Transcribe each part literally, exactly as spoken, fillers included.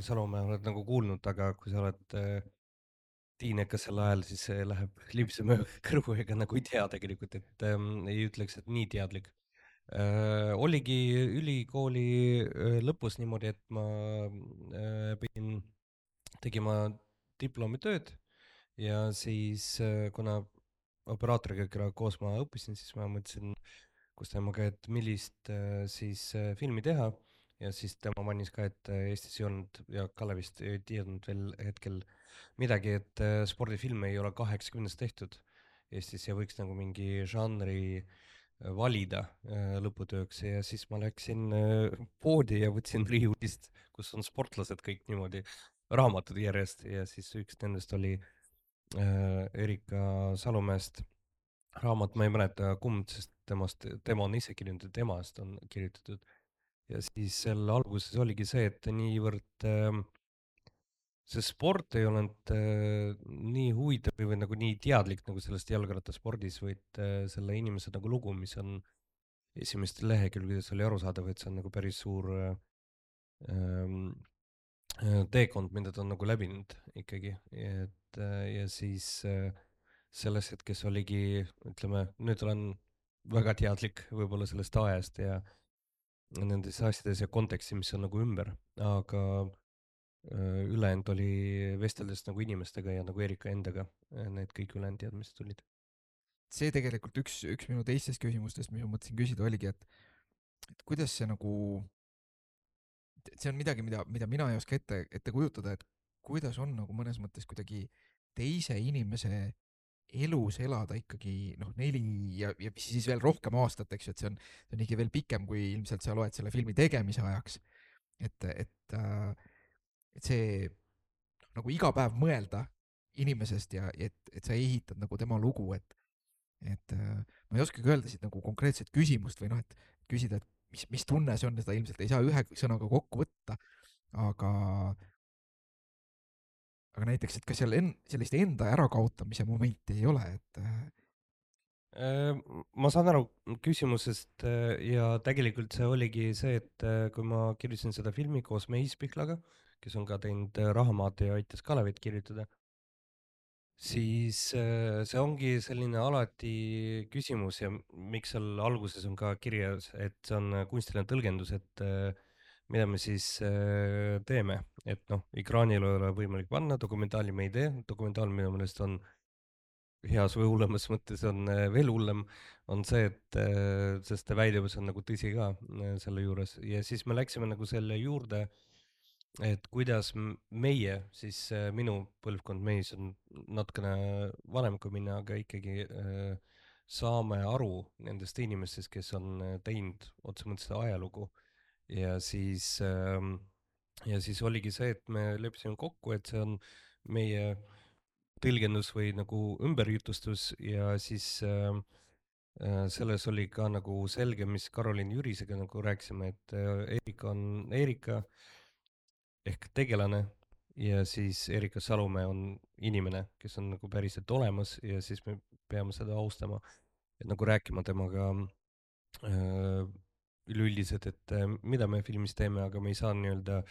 Salumäe oled nagu kuulnud, aga kui sa oled äh, tiinekas sel ajal, siis see läheb libseb mööda kõrvu, ega nagu ei tea tegelikult, et ähm, ei ütleks, et nii teadlik äh,. oligi ülikooli äh, lõpus niimoodi, et ma äh, pidin tegema diplomitööd ja siis äh, kuna operaatoriga, kellega koos ma õppisin, siis ma mõtlesin koos temaga, et millist äh, siis äh, filmi teha ja siis tema mainis ka, et äh, Eestis ei olnud ja Kalle vist ei teadnud veel hetkel midagi, et äh, spordifilme ei ole kaheksakümnendast tehtud Eestis ja võiks nagu mingi žanri äh, valida äh, lõputööks ja siis ma läksin äh, poodi ja võtsin riiulist, kus on sportlased kõik niimoodi, raamatud järjest ja siis üks nendest oli äh, Erika Salumäest raamat, ma ei mäleta kumb, sest temast, tema on ise kirjutanud, temast on kirjutatud. ja siis selle alguses oligi see, et niivõrd äh, see sport ei olnud äh, nii huvitav või, või nagu nii teadlik nagu sellest jalgrattaspordis, vaid äh, selle inimese nagu lugu, mis on esimestel lehekülgedel oli arusaadav, et see on nagu päris suur äh, ähm, äh, teekond, mida ta on nagu läbinud ikkagi, et äh, ja siis äh, selles hetkes oligi, ütleme, nüüd olen väga teadlik võib-olla sellest ajast ja nendes asjades ja konteksti, mis on nagu ümber, aga äh, ülejäänud oli vesteldes nagu inimestega ja nagu Erika endaga, äh, need kõik ülejäänud teadmised tulid. See tegelikult üks, üks minu teistest küsimustest, mis ma mõtlesin küsida, oligi, et, et kuidas see nagu, et see on midagi, mida, mida mina ei oska ette, ette kujutada, et kuidas on nagu mõnes mõttes kuidagi teise inimese elus elada ikkagi noh, neli ja, ja siis veel rohkem aastat, eks ju, et see on, see on ikka veel pikem, kui ilmselt sa loed selle filmi tegemise ajaks. et, et, äh, et see noh, nagu iga päev mõelda inimesest ja et, et sa ehitad nagu tema lugu, et et äh, ma ei oskagi öelda siit nagu konkreetset küsimust või noh, et küsida, et mis, mis tunne see on, seda ilmselt ei saa ühe sõnaga kokku võtta, aga, aga näiteks, et kas seal en, sellist enda ärakaotamise momenti ei ole, et äh, Äh, ma saan aru küsimusest äh, ja tegelikult see oligi see, et äh, kui ma kirjutasin seda filmi koos Meis Pihlaga, kes on ka teinud äh, Rahamaad ja aitas Kalevit kirjutada, siis äh, see ongi selline alati küsimus ja m- miks seal alguses on ka kirjas, et see on äh, kunstiline tõlgendus, et äh, mida me siis äh, teeme, et noh, ekraanil ei ole võimalik panna, dokumentaali me ei tee, dokumentaal minu meelest on heas või hullemas mõttes on äh, veel hullem, on see, et äh, sest see väidevus on nagu tõsi ka äh, selle juures ja siis me läksime nagu selle juurde, et kuidas m- meie, siis äh, minu põlvkond, mees on natukene vanem kui mina, aga ikkagi äh, saame aru nendest inimestest, kes on äh, teinud otse mõttes seda ajalugu ja siis ähm, ja siis oligi see, et me leppisime kokku, et see on meie tõlgendus või nagu ümberjutustus ja siis äh, äh, selles oli ka nagu selge, mis Karoliin Jürisega nagu rääkisime, et äh, Erika on Erika ehk tegelane ja siis Erika Salumäe on inimene, kes on nagu päriselt olemas ja siis me peame seda austama, et nagu rääkima temaga äh, üleüldiselt, et äh, mida me filmis teeme, aga me ei saa nii-öelda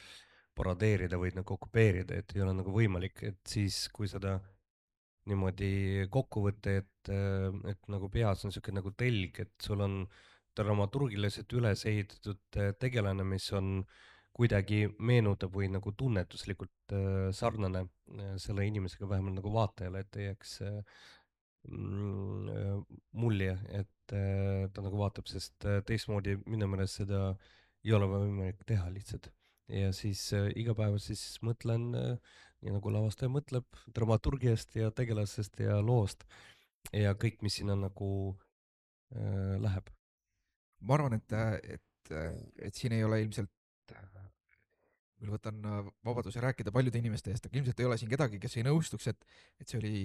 paradeerida või nagu kopeerida, et ei ole nagu võimalik, et siis, kui seda niimoodi kokku võtta, et, äh, et nagu peas on niisugune nagu telg, et sul on dramaturgiliselt üles ehitatud äh, tegelane, mis on kuidagi meenutab või nagu tunnetuslikult äh, sarnane äh, selle inimesega, vähemalt nagu vaatajale, et ei jääks äh, mm, äh, mulje, et äh, ta nagu vaatab, sest äh, teistmoodi minu meelest seda ei ole võimalik teha lihtsalt. ja siis äh, iga päev siis mõtlen äh, nii nagu lavastaja mõtleb dramaturgiast ja tegelasest ja loost ja kõik, mis sinna nagu äh, läheb. ma arvan, et, et, et siin ei ole ilmselt, küll võtan äh, vabaduse rääkida paljude inimeste eest, aga ilmselt ei ole siin kedagi, kes ei nõustuks, et, et see oli,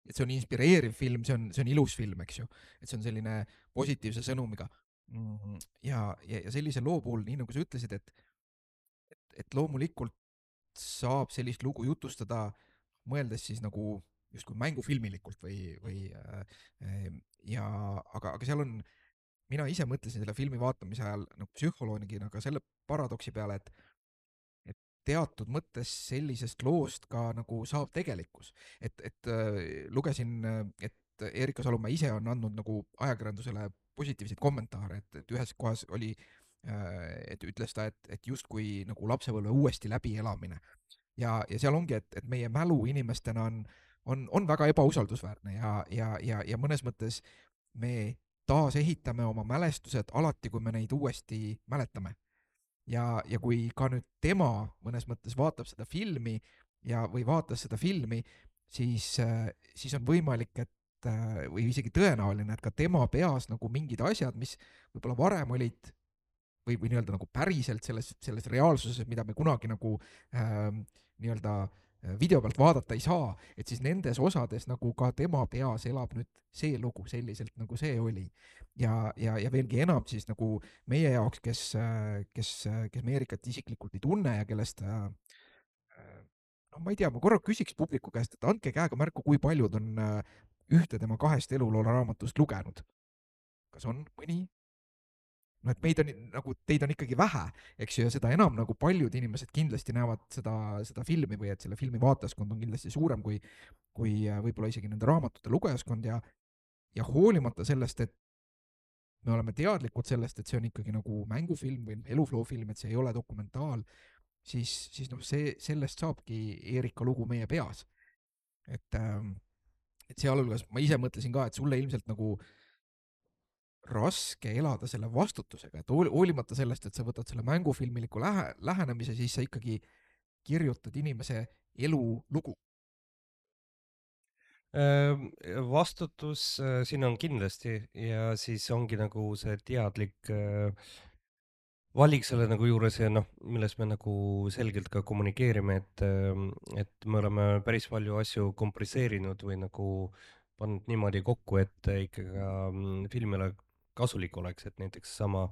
et see on inspireeriv film, see on, see on ilus film, eks ju. et see on selline positiivse sõnumiga. Mm, ja, ja, ja sellise loo puhul, nii nagu sa ütlesid, et, et loomulikult saab sellist lugu jutustada, mõeldes siis nagu justkui mängufilmilikult või, või äh, ja aga, aga seal on, mina ise mõtlesin selle filmi vaatamise ajal nagu psühholoogina ka selle paradoksi peale, et teatud mõttes sellisest loost ka nagu saab tegelikkus. et, et äh, lugesin, äh, et Erika Salumäe ise on andnud nagu ajakirjandusele positiivseid kommentaare, et, et ühes kohas oli, et ütles ta, et, et justkui nagu lapsepõlve uuesti läbielamine. ja, ja seal ongi, et, et meie mälu inimestena on, on, on väga ebausaldusväärne ja, ja, ja, ja mõnes mõttes me taasehitame oma mälestused alati, kui me neid uuesti mäletame. ja, ja kui ka nüüd tema mõnes mõttes vaatab seda filmi ja, või vaatas seda filmi, siis, siis on võimalik, et või isegi tõenäoline, et ka tema peas nagu mingid asjad, mis võib-olla varem olid või, või nii-öelda nagu päriselt selles, selles reaalsuses, mida me kunagi nagu äh, nii-öelda video pealt vaadata ei saa, et siis nendes osades nagu ka tema peas elab nüüd see lugu selliselt, nagu see oli. ja, ja, ja veelgi enam siis nagu meie jaoks, kes, kes, kes me Erikat isiklikult ei tunne ja kellest äh, no ma ei tea, ma korra küsiks publiku käest, et andke käega märku, kui paljud on äh, ühte tema kahest eluloo raamatust lugenud. kas on mõni? No et meid on nagu, teid on ikkagi vähe, eks ju, ja seda enam nagu paljud inimesed kindlasti näevad seda, seda filmi või et selle filmi vaatajaskond on kindlasti suurem kui, kui võib-olla isegi nende raamatute lugejaskond ja, ja hoolimata sellest, et me oleme teadlikud sellest, et see on ikkagi nagu mängufilm või elufloofilm, et see ei ole dokumentaal, siis, siis noh, see, sellest saabki Erika lugu meie peas. et, et sealhulgas ma ise mõtlesin ka, et sulle ilmselt nagu raske elada selle vastutusega, et hoolimata sellest, et sa võtad selle mängufilmiliku lähe, lähenemise, siis sa ikkagi kirjutad inimese elulugu. Vastutus siin on kindlasti ja siis ongi nagu see teadlik valik selle nagu juures ja noh, milles me nagu selgelt ka kommunikeerime, et, et me oleme päris palju asju kompresseerinud või nagu pannud niimoodi kokku, et ikkagi ka mm, filmile kasulik oleks, et näiteks sama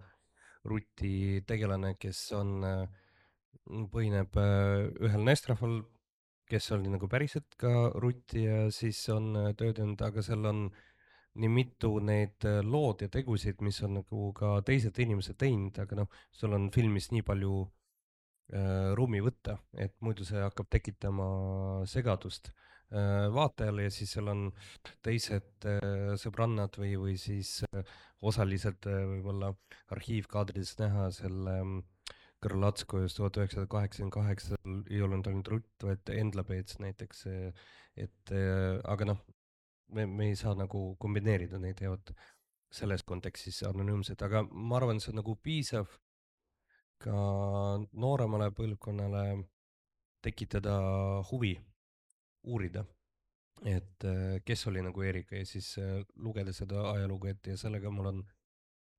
Ruti tegelane, kes on, põhineb ühel naisterahval, kes oli nagu päriselt ka Rutt ja siis on töödelnud, aga seal on nii mitu neid lood ja tegusid, mis on nagu ka teised inimesed teinud, aga noh, sul on filmis nii palju äh, ruumi võtta, et muidu see hakkab tekitama segadust äh, vaatajale ja siis seal on teised äh, sõbrannad või, või siis äh, osaliselt äh, võib-olla arhiivkaadrides näha selle äh, Kõrlatskojast tuhat üheksasada kaheksakümmend kaheksa ei olnud ainult Rutt, vaid Endla Peets näiteks, et aga noh, me, me ei saa nagu kombineerida neid ja vot selles kontekstis anonüümsed, aga ma arvan, see on nagu piisav ka nooremale põlvkonnale tekitada huvi, uurida, et kes oli nagu Erika ja siis lugeda seda ajalugu ette ja sellega mul on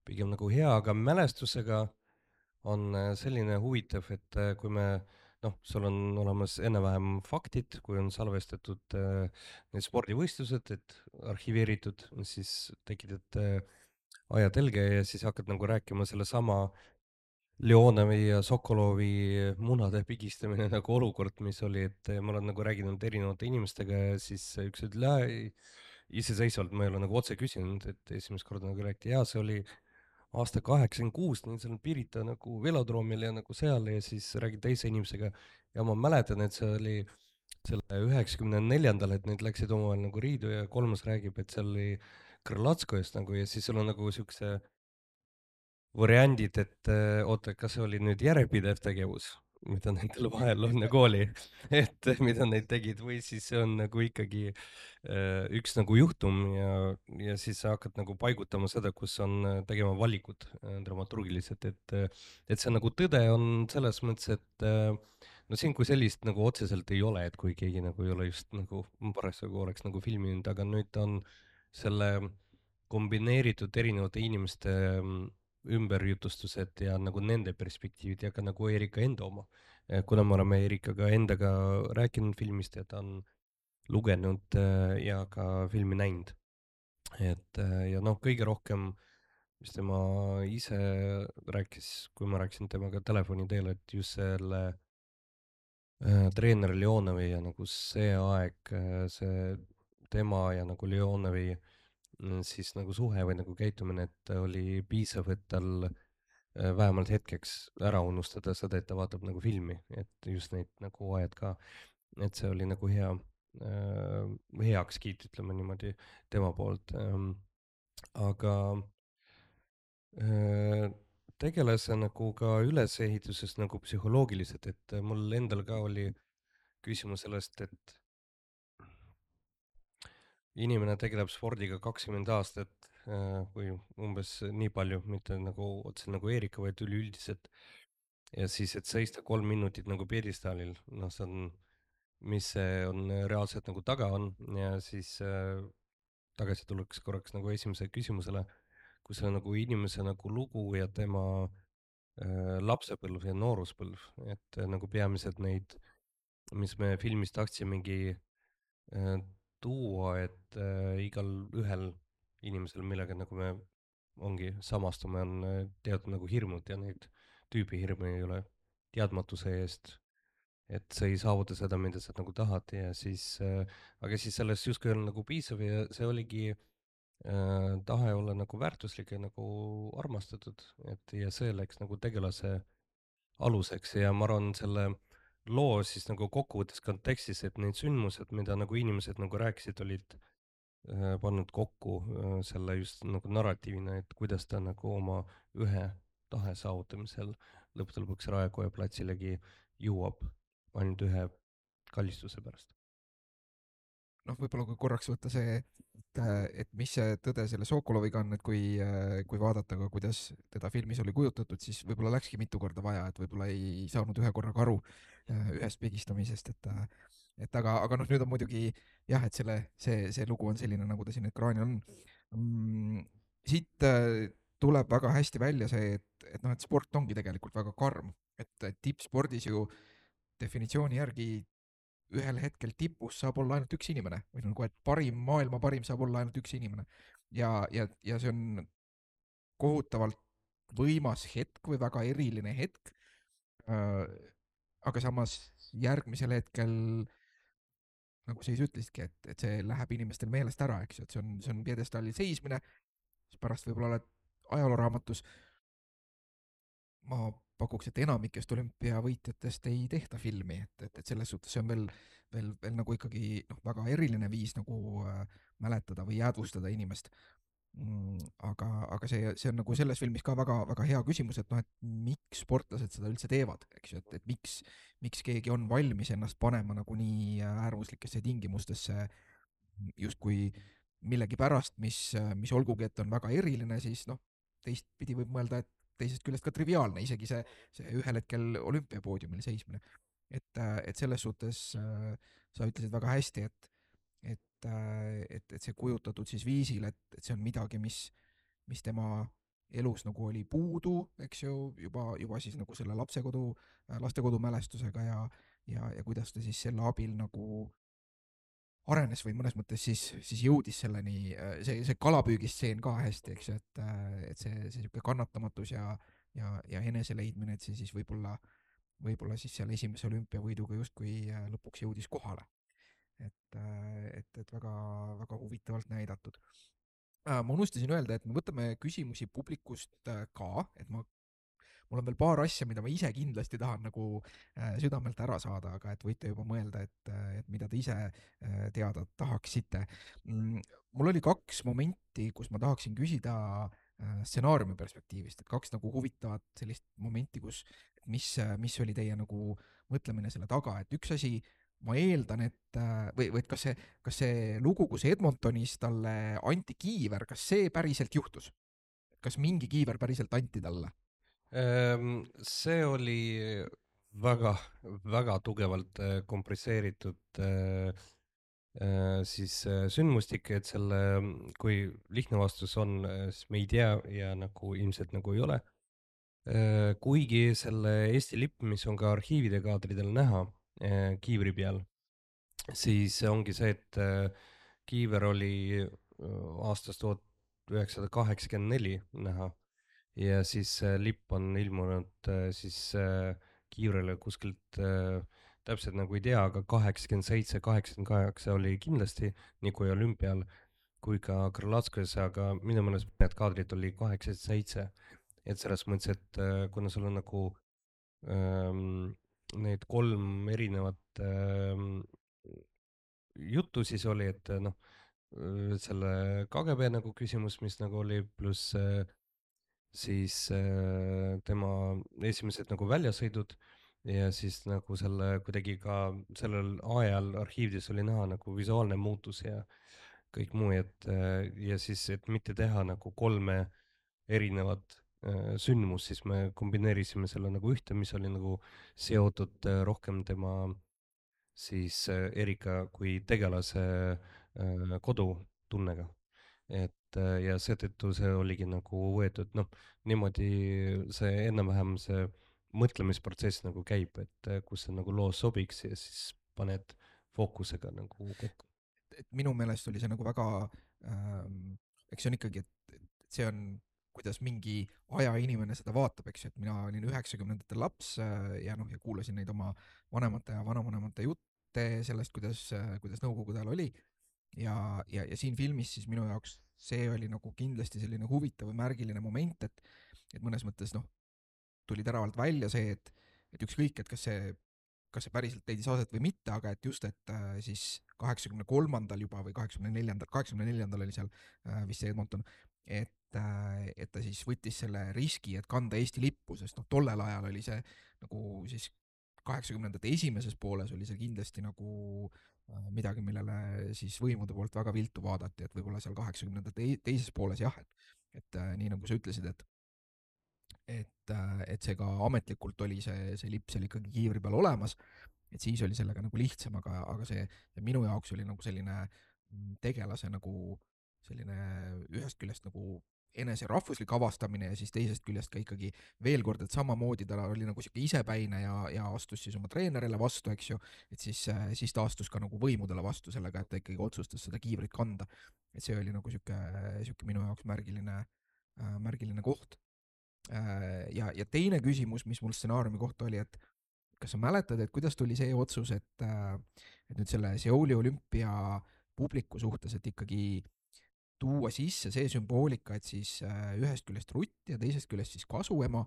pigem nagu hea, aga mälestusega on selline huvitav, et kui me noh, sul on olemas enam-vähem faktid, kui on salvestatud äh, need spordivõistlused, et arhiveeritud, siis tekitad äh, ajatelge ja siis hakkad nagu rääkima sellesama Leonovi ja Sokolovi munade pigistamine nagu olukord, mis oli, et ma olen nagu rääkinud erinevate inimestega ja siis üks ütles, iseseisvalt ma ei ole nagu otse küsinud, et esimest korda nagu räägiti, jaa, see oli aasta kaheksakümmend kuus, seal Pirita nagu velodroomil ja nagu seal ja siis räägin teise inimesega ja ma mäletan, et see oli selle üheksakümne neljandal, et need läksid omavahel nagu riidu ja kolmas räägib, et seal oli Krõlatskojast nagu ja siis sul on nagu siukse variandid, et äh, oota, kas see oli nüüd järjepidev tegevus, mida nendel vahel on nagu oli, et mida nad tegid või siis see on nagu ikkagi äh, üks nagu juhtum ja, ja siis sa hakkad nagu paigutama seda, kus on äh, tegema valikud äh, dramaturgiliselt, et äh, et see nagu tõde on selles mõttes, et äh, no siin kui sellist nagu otseselt ei ole, et kui keegi nagu ei ole just nagu parasjagu oleks nagu filminud, aga nüüd on selle kombineeritud erinevate inimeste mm, ümberjutustused ja nagu nende perspektiivid ja ka nagu Erika enda oma. kuna me oleme Erikaga endaga rääkinud filmist ja ta on lugenud äh, ja ka filmi näinud. et äh, ja noh, kõige rohkem, mis tema ise rääkis, kui ma rääkisin temaga telefoni teel, et just selle äh, treener Leonovi ja nagu see aeg, äh, see tema ja nagu Leonovi mm, siis nagu suhe või nagu käitumine, et oli piisav, et tal äh, vähemalt hetkeks ära unustada seda, et ta vaatab nagu filmi, et just neid nagu ajad ka, et see oli nagu hea äh, heakskiit, ütleme niimoodi, tema poolt ähm,. aga äh, tegelase nagu ka ülesehitusest nagu psühholoogiliselt, et mul endal ka oli küsimus sellest, et inimene tegeleb spordiga kakskümmend aastat äh, või umbes nii palju, mitte nagu otseselt nagu Eerika, vaid üleüldiselt. ja siis, et seista kolm minutit nagu pjedestaalil, noh, see on, mis see on reaalselt nagu taga on ja siis äh, tagasi tuleks korraks nagu esimese küsimusele, kui see on nagu inimese nagu lugu ja tema äh, lapsepõlv ja nooruspõlv, et äh, nagu peamiselt neid, mis me filmis tahtsimegi äh, tuua, et äh, igal ühel inimesel, millega nagu me ongi samastume, on äh, teatud nagu hirmud ja neid tüübihirme ei ole teadmatuse eest, et sa ei saavuta seda, mida sa nagu tahad ja siis äh,, aga siis sellest justkui on nagu piisav ja see oligi äh, tahe olla nagu väärtuslik ja nagu armastatud, et ja see läks nagu tegelase aluseks ja ma arvan, selle loo siis nagu kokkuvõttes kontekstis, et need sündmused, mida nagu inimesed nagu rääkisid, olid äh, pannud kokku äh, selle just nagu narratiivina, et kuidas ta nagu oma ühe tahe saavutamisel lõppude lõpuks Raekoja platsilegi jõuab ainult ühe kallistuse pärast. noh, võib-olla kui korraks võtta see, et, et mis see tõde selle Sokoloviga on, et kui, kui vaadata ka, kuidas teda filmis oli kujutatud, siis võib-olla läkski mitu korda vaja, et võib-olla ei saanud ühe korraga aru äh, ühest pigistamisest, et et aga, aga noh, nüüd on muidugi jah, et selle, see, see lugu on selline, nagu ta siin ekraanil on mm,. siit äh, tuleb väga hästi välja see, et, et noh, et sport ongi tegelikult väga karm, et, et tippspordis ju definitsiooni järgi ühel hetkel tipus saab olla ainult üks inimene või nagu, et parim, maailma parim saab olla ainult üks inimene. ja, ja, ja see on kohutavalt võimas hetk või väga eriline hetk äh,. aga samas järgmisel hetkel, nagu sa ise ütlesidki, et, et see läheb inimestel meelest ära, eks ju, et see on, see on pjedestaalil seismine, siis pärast võib-olla oled ajalooraamatus. ma pakuks, et enamikest olümpiavõitjatest ei tehta filmi, et, et, et selles suhtes see on veel, veel, veel nagu ikkagi noh, väga eriline viis nagu äh, mäletada või jäädvustada inimest mm,. aga, aga see, see on nagu selles filmis ka väga, väga hea küsimus, et noh, et miks sportlased seda üldse teevad, eks ju, et, et miks, miks keegi on valmis ennast panema nagu nii äärmuslikesse tingimustesse justkui millegipärast, mis, mis olgugi, et on väga eriline, siis noh, teistpidi võib mõelda, et teisest küljest ka triviaalne, isegi see, see ühel hetkel olümpiapoodiumil seismine. et, et selles suhtes äh, sa ütlesid väga hästi, et, et, et, et see kujutatud siis viisil, et, et see on midagi, mis, mis tema elus nagu oli puudu, eks ju, juba, juba siis nagu selle lapsekodu, lastekodu mälestusega ja, ja, ja kuidas ta siis selle abil nagu arenes või mõnes mõttes siis, siis jõudis selleni, see, see kalapüügistseen ka hästi, eks ju, et, et see, see niisugune kannatamatus ja, ja, ja eneseleidmine, et see siis võib-olla, võib-olla siis seal esimese olümpiavõiduga justkui lõpuks jõudis kohale. et, et, et väga, väga huvitavalt näidatud. ma unustasin öelda, et me võtame küsimusi publikust ka, et ma mul on veel paar asja, mida ma ise kindlasti tahan nagu äh, südamelt ära saada, aga et võite juba mõelda, et, et mida te ise äh, teada tahaksite mm,. mul oli kaks momenti, kus ma tahaksin küsida äh, stsenaariumi perspektiivist, et kaks nagu huvitavat sellist momenti, kus mis, mis oli teie nagu mõtlemine selle taga, et üks asi, ma eeldan, et või, või et kas see, kas see lugu, kus Edmontonis talle anti kiiver, kas see päriselt juhtus? kas mingi kiiver päriselt anti talle? see oli väga, väga tugevalt kompresseeritud siis sündmustik, et selle, kui lihtne vastus on, siis me ei tea ja nagu ilmselt nagu ei ole. kuigi selle Eesti lipp, mis on ka arhiivide kaadridel näha kiivri peal, siis ongi see, et kiiver oli aastast tuhat üheksasada kaheksakümmend neli näha ja siis lipp on ilmunud siis kiivrele kuskilt täpselt nagu ei tea, aga kaheksakümmend seitse, kaheksakümmend kaheksa oli kindlasti nii kui olümpial kui ka Krõlatskõs, aga minu meelest need kaadrid oli kaheksakümmend seitse. et selles mõttes, et äh, kuna sul on nagu ähm, need kolm erinevat ähm, juttu siis oli, et äh, noh, äh, selle K G B nagu küsimus, mis nagu oli, pluss äh, siis äh, tema esimesed nagu väljasõidud ja siis nagu selle kuidagi ka sellel ajal arhiivides oli näha nagu visuaalne muutus ja kõik muu, et äh, ja siis, et mitte teha nagu kolme erinevat äh, sündmust, siis me kombineerisime selle nagu ühte, mis oli nagu seotud äh, rohkem tema siis äh, Erika kui tegelase äh, kodutunnega. et äh, ja seetõttu see oligi nagu võetud, noh, niimoodi see enam-vähem see mõtlemisprotsess nagu käib, et äh, kus see nagu loos sobiks ja siis paned fookusega nagu kokku. et minu meelest oli see nagu väga ähm,, eks see on ikkagi, et, et see on, kuidas mingi aja inimene seda vaatab, eks ju, et mina olin üheksakümnendatel laps äh, ja noh, ja kuulasin neid oma vanemate ja vanavanemate jutte sellest, kuidas äh,, kuidas nõukogude ajal oli ja, ja, ja siin filmis siis minu jaoks see oli nagu kindlasti selline huvitav või märgiline moment, et et mõnes mõttes noh, tuli teravalt välja see, et et ükskõik, et kas see kas see päriselt leidis aset või mitte, aga et just, et äh, siis kaheksakümne kolmandal juba või kaheksakümne neljandal, kaheksakümne neljandal oli seal äh, vist see Edmonton, et äh, et ta siis võttis selle riski, et kanda Eesti lippu, sest noh, tollel ajal oli see nagu siis kaheksakümnendate esimeses pooles oli see kindlasti nagu äh, midagi, millele siis võimude poolt väga viltu vaadati, et võib-olla seal kaheksakümnendate teises pooles jah, et et äh, nii nagu sa ütlesid, et et, et see ka ametlikult oli see, see lipp seal ikkagi kiivri peal olemas, et siis oli sellega nagu lihtsam, aga, aga see, see minu jaoks oli nagu selline tegelase nagu selline ühest küljest nagu enese rahvuslik avastamine ja siis teisest küljest ka ikkagi veel kord, et samamoodi ta oli nagu sihuke isepäine ja, ja astus siis oma treenerile vastu, eks ju, et siis, siis ta astus ka nagu võimudele vastu sellega, et ta ikkagi otsustas seda kiivrit kanda. et see oli nagu sihuke, sihuke minu jaoks märgiline, märgiline koht. Ja, ja teine küsimus, mis mul stsenaariumi kohta oli, et kas sa mäletad, et kuidas tuli see otsus, et, et nüüd selle Seouli olümpia publiku suhtes, et ikkagi tuua sisse see sümboolika, et siis ühest küljest Rutt ja teisest küljest siis kasuema,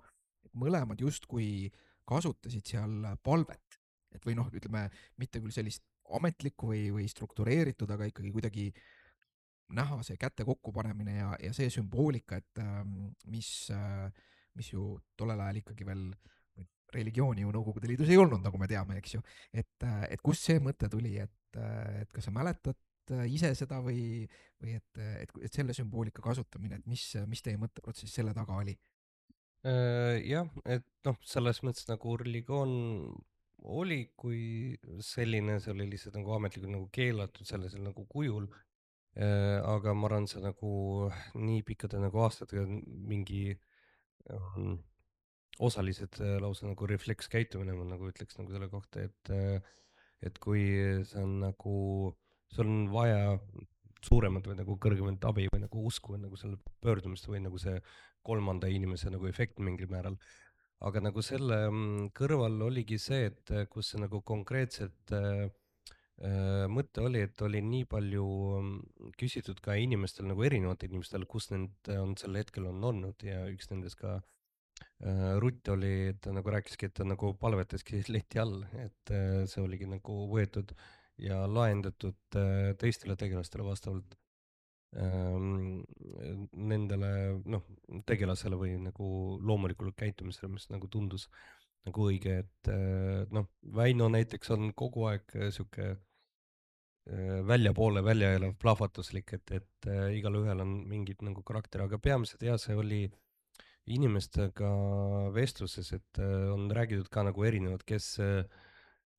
et mõlemad justkui kasutasid seal palvet. et või noh, ütleme mitte küll sellist ametlikku või, või struktureeritud, aga ikkagi kuidagi näha see käte kokkupanemine ja, ja see sümboolika, et mis, mis ju tollel ajal ikkagi veel religiooni ju Nõukogude Liidus ei olnud, nagu me teame, eks ju. et, et kust see mõte tuli, et, et kas sa mäletad ise seda või, või et, et, et selle sümboolika kasutamine, et mis, mis teie mõtteprotsess selle taga oli? Jah, et noh, selles mõttes nagu religioon oli kui selline, see oli lihtsalt nagu ametlikult nagu keelatud sellisel nagu kujul. aga ma arvan, see nagu nii pikkade nagu aastatega mingi ähm, osalised äh, lausa nagu reflekskäitumine, ma nagu ütleks nagu selle kohta, et äh, et kui see on nagu, sul on vaja suuremat või nagu kõrgemat abi või nagu usku või nagu selle pöördumist või nagu see kolmanda inimese nagu efekt mingil määral. aga nagu selle mm, kõrval oligi see, et äh, kus see nagu konkreetselt äh, äh, mõte oli, et oli nii palju mm, küsitud ka inimestel nagu erinevatel inimestel, kus need on sel hetkel on olnud ja üks nendest ka äh, Rutt oli, ta nagu rääkiski, et ta nagu palvetaski leti all, et äh, see oligi nagu võetud ja lahendatud äh, teistele tegelastele vastavalt ähm, nendele noh, tegelasele või nagu loomulikule käitumisele, mis nagu tundus nagu õige, et äh, noh, Väino näiteks on kogu aeg äh, sihuke äh, väljapoole välja elav plahvatuslik, et, et äh, igalühel on mingid nagu karakter, aga peamiselt jah, see oli inimestega vestluses, et äh, on räägitud ka nagu erinevad, kes äh,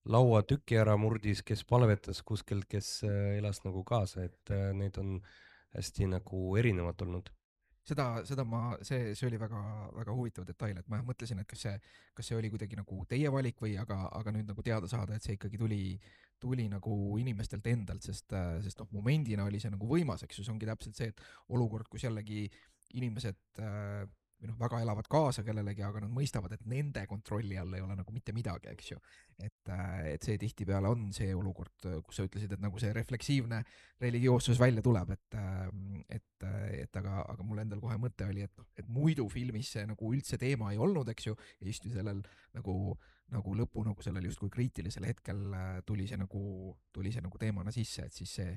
lauatüki ära murdis, kes palvetas kuskilt, kes äh, elas nagu kaasa, et äh, neid on hästi nagu erinevad olnud. seda, seda ma, see, see oli väga, väga huvitav detail, et ma mõtlesin, et kas see, kas see oli kuidagi nagu teie valik või aga, aga nüüd nagu teada saada, et see ikkagi tuli, tuli nagu inimestelt endalt, sest, sest noh, momendina oli see nagu võimas, eks ju, see ongi täpselt see, et olukord, kus jällegi inimesed äh, või noh, väga elavad kaasa kellelegi, aga nad mõistavad, et nende kontrolli all ei ole nagu mitte midagi, eks ju. et, et see tihtipeale on see olukord, kus sa ütlesid, et nagu see refleksiivne religioossus välja tuleb, et, et, et aga, aga mul endal kohe mõte oli, et noh, et muidu filmis see nagu üldse teema ei olnud, eks ju, ja just sellel nagu, nagu lõpu nagu sellel justkui kriitilisel hetkel tuli see nagu, tuli see nagu teemana sisse, et siis see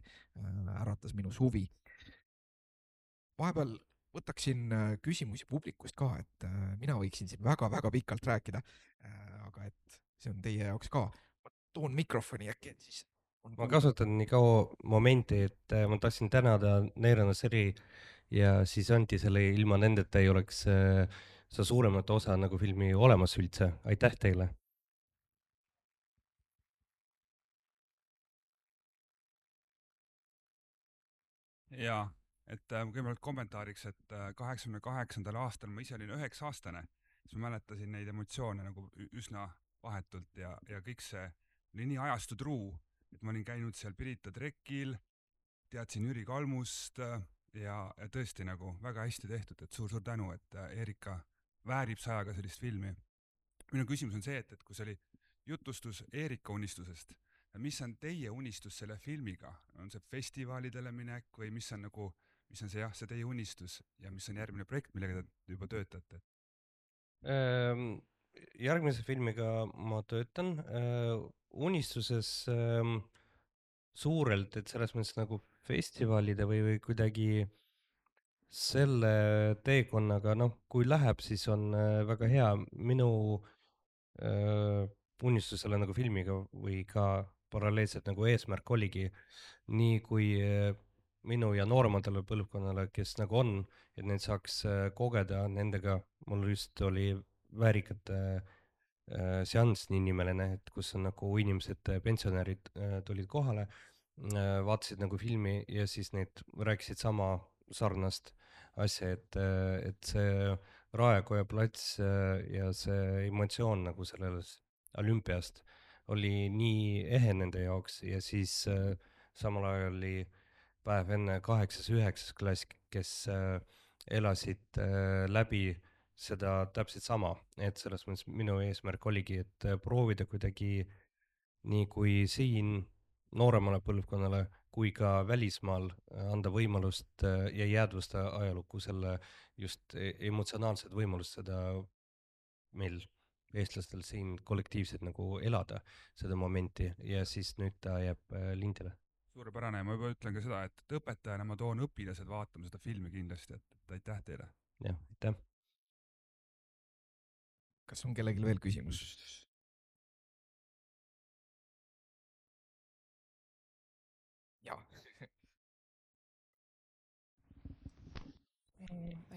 äratas minus huvi. Vahepeal võtaksin küsimusi publikust ka, et mina võiksin siin väga-väga pikalt rääkida, aga et see on teie jaoks ka. Ma toon mikrofoni äkki, et siis on ma kuulda. kasutan nii kaua momenti, et äh, ma tahtsin tänada Neerana Seri ja siis Anti selle, ilma nendeta ei oleks äh, seda suuremat osa nagu filmi olemas üldse, aitäh teile! jaa, et äh, kõigepealt kommentaariks, et äh, kaheksakümne kaheksandal aastal ma ise olin üheksa aastane, siis ma mäletasin neid emotsioone nagu ü- üsna vahetult ja, ja kõik see oli nii ajastutruu, et ma olin käinud seal Pirita trekil, teadsin Jüri Kalmust äh, ja, ja tõesti nagu väga hästi tehtud, et suur-suur tänu, et äh, Erika väärib sajaga sellist filmi. Minu küsimus on see, et, et kui see oli jutustus Erika unistusest, mis on teie unistus selle filmiga, on see festivalidele minek või mis on nagu, mis on see jah, see teie unistus ja mis on järgmine projekt, millega te juba töötate? Ähm, järgmise filmiga ma töötan äh, unistuses ähm, suurelt, et selles mõttes nagu festivalide või, või kuidagi selle teekonnaga, noh, kui läheb, siis on äh, väga hea. Minu äh, unistus selle nagu filmiga või ka paralleelselt nagu eesmärk oligi nii kui äh, minu ja noorematele põlvkonnale, kes nagu on, et neid saaks äh, kogeda nendega, mul just oli väärikate äh, seanss niinimeline, et kus on nagu inimesed, pensionärid äh, tulid kohale äh,, vaatasid nagu filmi ja siis need rääkisid sama sarnast asja, et, et see Raekoja plats äh, ja see emotsioon nagu sellest olümpiast oli nii ehe nende jaoks ja siis äh, samal ajal oli päev enne kaheksas, üheksas klass, kes äh, elasid äh, läbi seda täpselt sama, et selles mõttes minu eesmärk oligi, et äh, proovida kuidagi nii kui siin nooremale põlvkonnale kui ka välismaal äh, anda võimalust äh, ja jäädvusta ajalukku selle just e- emotsionaalset võimalust seda meil, eestlastel siin kollektiivselt nagu elada, seda momenti ja siis nüüd ta jääb äh, lindile. Suurepärane ja ma juba ütlen ka seda, et, et õpetajana ma toon õpilased vaatama seda filmi kindlasti, et, et aitäh teile. jah, aitäh. Kas on kellelgi veel küsimus? Jaa.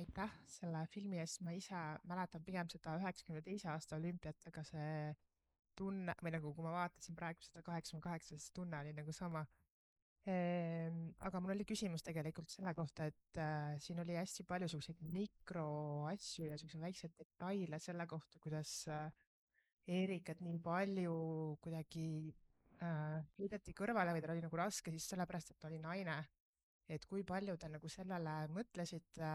aitäh selle filmi eest, ma ise mäletan pigem seda üheksakümne teise aasta olümpiat, aga see tunne või nagu, kui ma vaatasin praegu seda kaheksakümne kaheksa, siis tunne oli nagu sama. Aga mul oli küsimus tegelikult selle kohta, et äh, siin oli hästi palju selliseid mikroasju ja selliseid väikseid detaile selle kohta, kuidas äh, Eerikat nii palju kuidagi äh, heideti kõrvale või tal oli nagu raske siis sellepärast, et ta oli naine. Et kui palju te nagu sellele mõtlesite,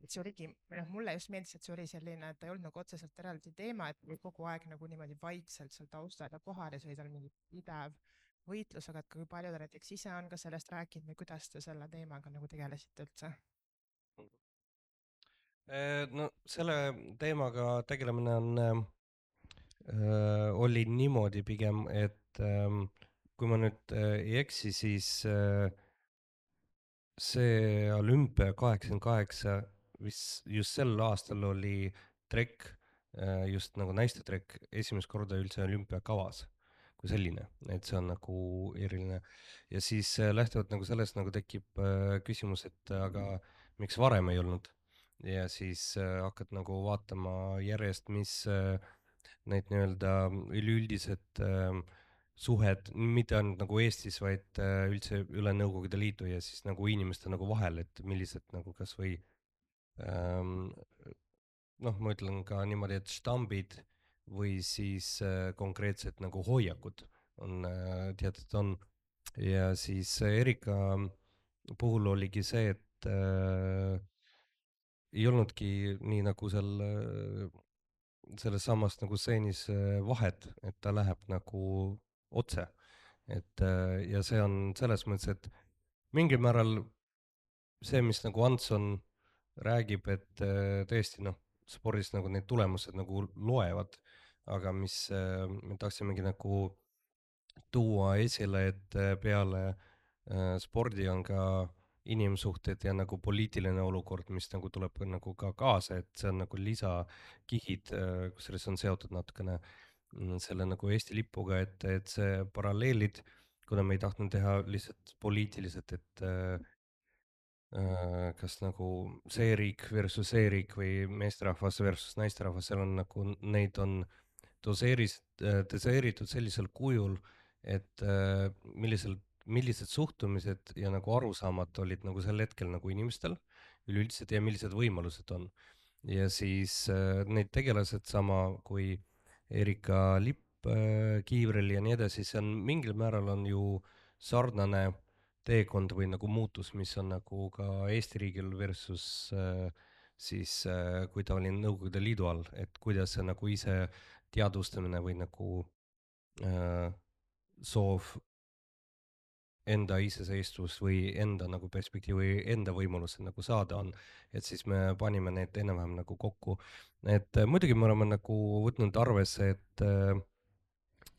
et see oligi, või noh, mulle just meeldis, et see oli selline, et ta ei olnud nagu otseselt eraldi teema, et oli kogu aeg nagu niimoodi vaikselt seal taustal ja kohal ja see oli tal mingi pidev võitlus, aga et kui palju ta näiteks ise on ka sellest rääkinud või kuidas te selle teemaga nagu tegelesite üldse? No selle teemaga tegelemine on äh, äh, oli niimoodi pigem, et ähm, kui ma nüüd äh, ei eksi, siis äh, see olümpia kaheksakümmend kaheksa, mis just sel aastal oli trekk, äh, just nagu naiste trekk, esimest korda üldse olümpiakavas kui selline, et see on nagu eriline. ja siis äh, lähtuvalt nagu sellest nagu tekib äh, küsimus, et aga miks varem ei olnud. ja siis äh, hakkad nagu vaatama järjest, mis äh, need nii-öelda üleüldised äh, suhed, mitte ainult nagu Eestis, vaid äh, üldse üle Nõukogude Liidu ja siis nagu inimeste nagu vahel, et millised nagu kasvõi ähm, noh, ma ütlen ka niimoodi, et štambid või siis äh, konkreetsed nagu hoiakud on äh, teatud on ja siis Erika puhul oligi see, et äh, ei olnudki nii nagu seal äh, selles samas nagu stseenis äh, vahet, et ta läheb nagu otse. et äh, ja see on selles mõttes, et mingil määral see, mis nagu Antson räägib, et äh, tõesti noh, spordis nagu need tulemused nagu loevad, aga mis äh, me tahtsimegi nagu tuua esile, et äh, peale äh, spordi on ka inimsuhted ja nagu poliitiline olukord, mis nagu tuleb ka nagu ka kaasa, et see on nagu lisakihid, äh, kusjuures on seotud natukene mm, selle nagu Eesti lipuga, et, et see paralleelid, kuna me ei tahtnud teha lihtsalt poliitiliselt, et äh, äh, kas nagu see riik versus see riik või meesterahvas versus naisterahvas, seal on nagu neid on doseeris, doseeritud sellisel kujul, et äh, millisel, millised suhtumised ja nagu arusaamad olid nagu sel hetkel nagu inimestel üleüldiselt ja millised võimalused on. ja siis äh, need tegelased sama kui Erika Lipp äh, Kiivrel ja nii edasi, see on mingil määral on ju sarnane teekond või nagu muutus, mis on nagu ka Eesti riigil versus äh, siis äh, kui ta oli Nõukogude Liidu all, et kuidas see nagu ise teadvustamine või nagu äh, soov enda iseseisvus või enda nagu perspektiiv või enda võimalused nagu saada on, et siis me panime need enam-vähem nagu kokku. et äh, muidugi me oleme nagu võtnud arvesse, et äh,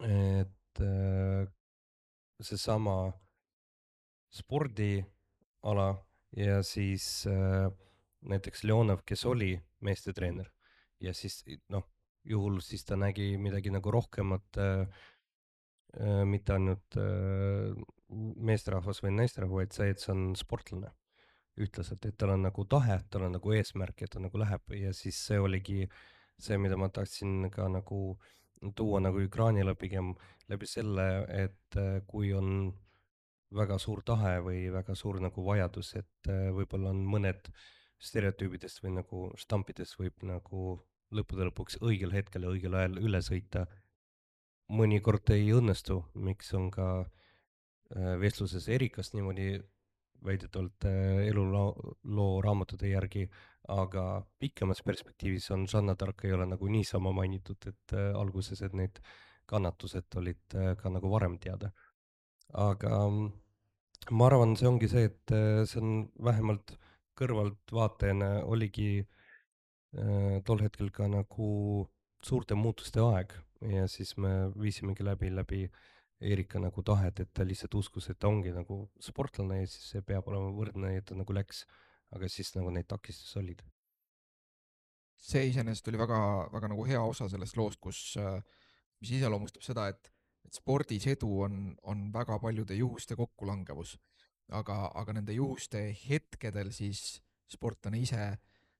et äh, seesama spordiala ja siis äh, näiteks Leonov, kes oli meestetreener ja siis noh, juhul siis ta nägi midagi nagu rohkemat äh, äh, mitte ainult äh, meesterahvas või naisterahvas, vaid see, et see on sportlane ütleselt, et tal on nagu tahe, tal on nagu eesmärk, et ta nagu läheb ja siis see oligi see, mida ma tahtsin ka nagu tuua nagu ekraanile pigem läbi selle, et äh, kui on väga suur tahe või väga suur nagu vajadus, et äh, võib-olla on mõned stereotüübidest või nagu štampidest võib nagu lõppude lõpuks õigel hetkel ja õigel ajal üle sõita. mõnikord ei õnnestu, miks on ka äh, vestluses Erikast niimoodi väidetavalt äh, eluloo loo raamatute järgi, aga pikemas perspektiivis on Jeanne d'Arc ei ole nagu niisama mainitud, et äh, alguses, et need kannatused olid äh, ka nagu varem teada. aga mm, ma arvan, see ongi see, et äh, see on vähemalt kõrvaltvaatajana oligi äh, tol hetkel ka nagu suurte muutuste aeg ja siis me viisimegi läbi, läbi Erika nagu tahet, et ta lihtsalt uskus, et ta ongi nagu sportlane ja siis see peab olema võrdne ja ta nagu läks, aga siis nagu neid takistusi olid. see iseenesest oli väga, väga nagu hea osa sellest loost, kus, äh, mis iseloomustab seda, et, et spordis edu on, on väga paljude juhuste kokkulangevus. aga, aga nende juhuste hetkedel siis sportlane ise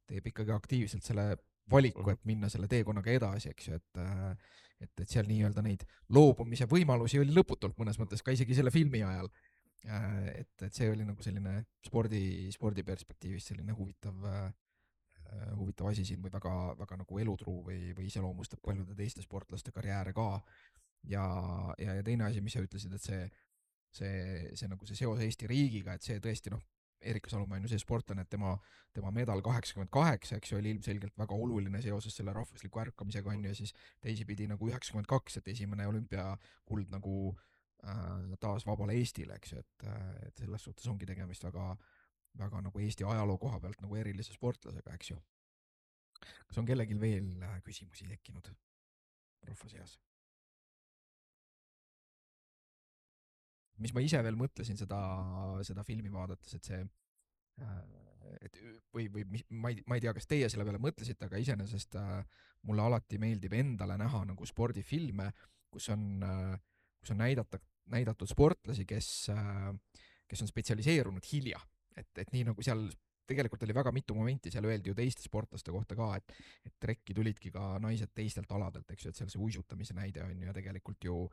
teeb ikkagi aktiivselt selle valiku, Mhm. et minna selle teekonnaga edasi, eks ju, et äh, et, et seal nii-öelda neid loobumise võimalusi oli lõputult mõnes mõttes ka isegi selle filmi ajal. Äh, et, et see oli nagu selline spordi, spordi perspektiivist selline huvitav äh, äh, huvitav asi siin või väga, väga nagu elutruu või, või iseloomustab paljude teiste sportlaste karjääre ka. ja, ja, ja teine asi, mis sa ütlesid, et see, see, see nagu see seos Eesti riigiga, et see tõesti noh, Erika Salumäe on ju see sportlane, et tema, tema medal kaheksakümmend kaheksa, eks ju, oli ilmselgelt väga oluline seoses selle rahvusliku ärkamisega, on ju, ja siis teisipidi nagu üheksakümmend kaks, et esimene olümpiakuld nagu äh, taas vabale Eestile, eks ju, et, et selles suhtes ongi tegemist väga, väga nagu Eesti ajaloo koha pealt nagu erilise sportlasega, eks ju. Kas on kellelgi veel küsimusi tekkinud rahva seas? Mis ma ise veel mõtlesin seda, seda filmi vaadates, et see et või, või ma ei, ma ei tea, kas teie selle peale mõtlesite, aga iseenesest mulle alati meeldib endale näha nagu spordifilme, kus on, kus on näidata, näidatud sportlasi, kes, kes on spetsialiseerunud hilja. Et, et nii nagu seal tegelikult oli väga mitu momenti, seal öeldi ju teiste sportlaste kohta ka, et, et trekki tulidki ka naised teistelt aladelt, eks ju, et seal see uisutamise näide on ju tegelikult ju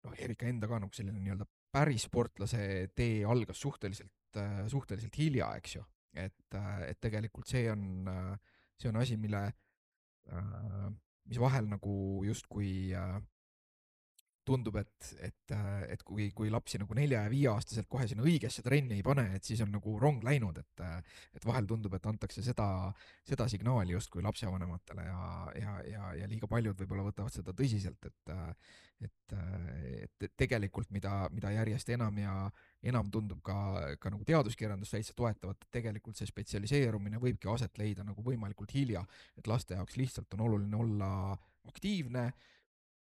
noh, Erika enda ka nagu selline nii-öelda päris sportlase tee algas suhteliselt, suhteliselt hilja, eks ju. Et, et tegelikult see on, see on asi, mille, mis vahel nagu justkui tundub, et, et, et kui, kui lapsi nagu nelja ja viieaastaselt kohe sinna õigesse trenni ei pane, et siis on nagu rong läinud, et, et vahel tundub, et antakse seda, seda signaali justkui lapsevanematele ja, ja, ja, ja liiga paljud võib-olla võtavad seda tõsiselt, et, et, et tegelikult mida, mida järjest enam ja enam tundub ka, ka nagu teaduskirjandus täitsa toetavat, et tegelikult see spetsialiseerumine võibki aset leida nagu võimalikult hilja, et laste jaoks lihtsalt on oluline olla aktiivne,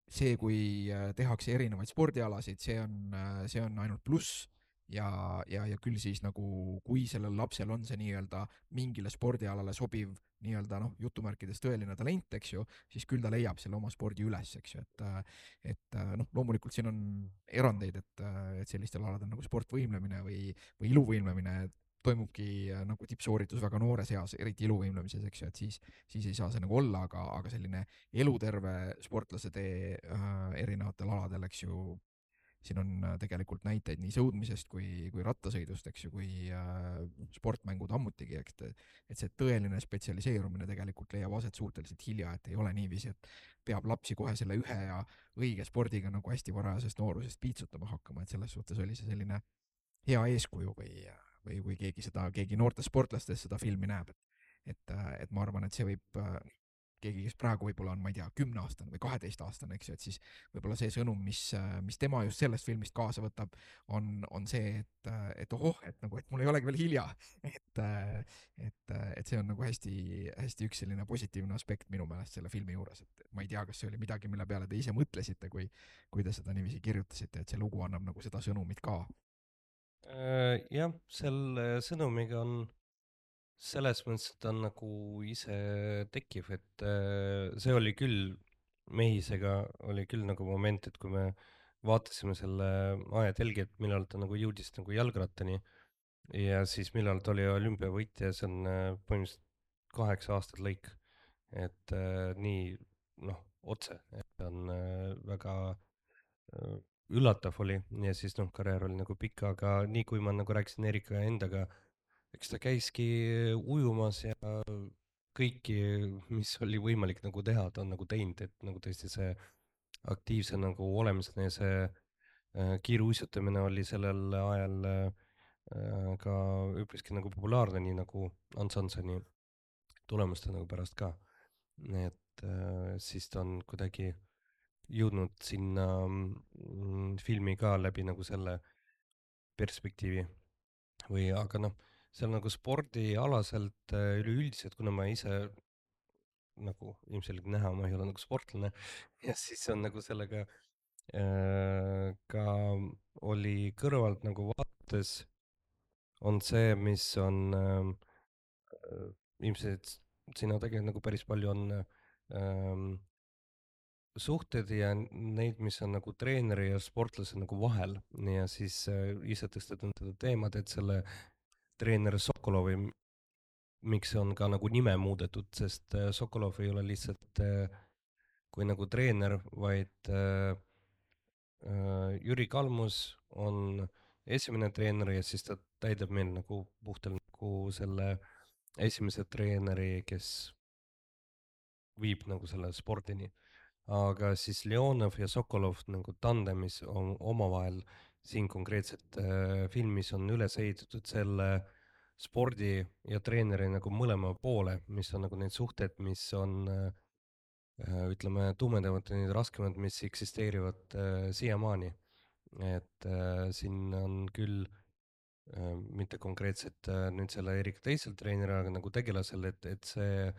see, kui tehakse erinevaid spordialasid, see on, see on ainult pluss ja, ja, ja küll siis nagu, kui sellel lapsel on see nii-öelda mingile spordialale sobiv nii-öelda noh, jutumärkides tõeline talent, eks ju, siis küll ta leiab selle oma spordi üles, eks ju, et et noh, loomulikult siin on erandeid, et, et sellistel aladel nagu sportvõimlemine või, või iluvõimlemine toimubki nagu tippsooritus väga noores eas, eriti iluvõimlemises, eks ju, et siis, siis ei saa see nagu olla, aga, aga selline eluterve sportlase tee äh, erinevatel aladel, eks ju, siin on tegelikult näiteid nii sõudmisest kui, kui rattasõidust, eks ju, kui äh, sportmängud ammutigi, eks, et see tõeline spetsialiseerumine tegelikult leiab aset suhteliselt hilja, et ei ole niiviisi, et peab lapsi kohe selle ühe ja õige spordiga nagu hästi varajasest noorusest piitsutama hakkama, et selles suhtes oli see selline hea eeskuju või, või kui keegi seda, keegi noortest sportlastest seda filmi näeb, et, et, et ma arvan, et see võib keegi, kes praegu võib-olla on, ma ei tea, kümneaastane või kaheteistaastane, eks ju, et siis võib-olla see sõnum, mis, mis tema just sellest filmist kaasa võtab, on, on see, et, et ohoh, et nagu, et mul ei olegi veel hilja, et, et, et see on nagu hästi, hästi üks selline positiivne aspekt minu meelest selle filmi juures, et ma ei tea, kas see oli midagi, mille peale te ise mõtlesite, kui, kui te seda niiviisi kirjutasite, et see lugu annab nagu seda sõnumit ka. Jah, selle sõnumiga on selles mõttes, et ta on nagu ise tekkiv, et see oli küll, Mehisega oli küll nagu moment, et kui me vaatasime selle ajatelgi, et millal ta nagu jõudis nagu jalgrattani ja siis millal ta oli olümpiavõitja, see on põhimõtteliselt kaheksa aastat lõik, et nii noh, otse, et ta on väga üllatav oli ja siis noh, karjäär oli nagu pikk, aga nii kui ma nagu rääkisin Erika endaga, eks ta käiski ujumas ja kõiki, mis oli võimalik nagu teha, ta on nagu teinud, et nagu tõesti see aktiivse nagu olemisena ja see äh, kiiruisutamine oli sellel ajal äh, ka üpriski nagu populaarne, nii nagu Ants Hanssoni tulemuste nagu pärast ka. et äh, siis ta on kuidagi jõudnud sinna mm, filmi ka läbi nagu selle perspektiivi või, aga noh, seal nagu spordialaselt üleüldiselt, kuna ma ise nagu ilmselgelt näha, ma ei ole nagu sportlane ja siis on nagu sellega äh, ka oli kõrvalt nagu vaates on see, mis on äh, ilmselt siin on tegelikult nagu päris palju on äh, suhted ja neid, mis on nagu treeneri ja sportlase nagu vahel ja siis äh, ise tõstetan seda teemat, et selle treener Sokolovi, miks on ka nagu nime muudetud, sest äh, Sokolov ei ole lihtsalt äh, kui nagu treener, vaid äh, äh, Jüri Kalmus on esimene treener ja siis ta täidab meil nagu puhtalt nagu selle esimese treeneri, kes viib nagu selle spordini. Aga siis Leonov ja Sokolov nagu tandemis on omavahel siin konkreetselt äh, filmis on üles ehitatud selle spordi ja treeneri nagu mõlema poole, mis on nagu need suhted, mis on äh, ütleme tumedamad ja need raskemad, mis eksisteerivad äh, siiamaani. et äh, siin on küll äh, mitte konkreetselt äh, nüüd selle Erika teisel treeneril, aga nagu tegelasel, et, et see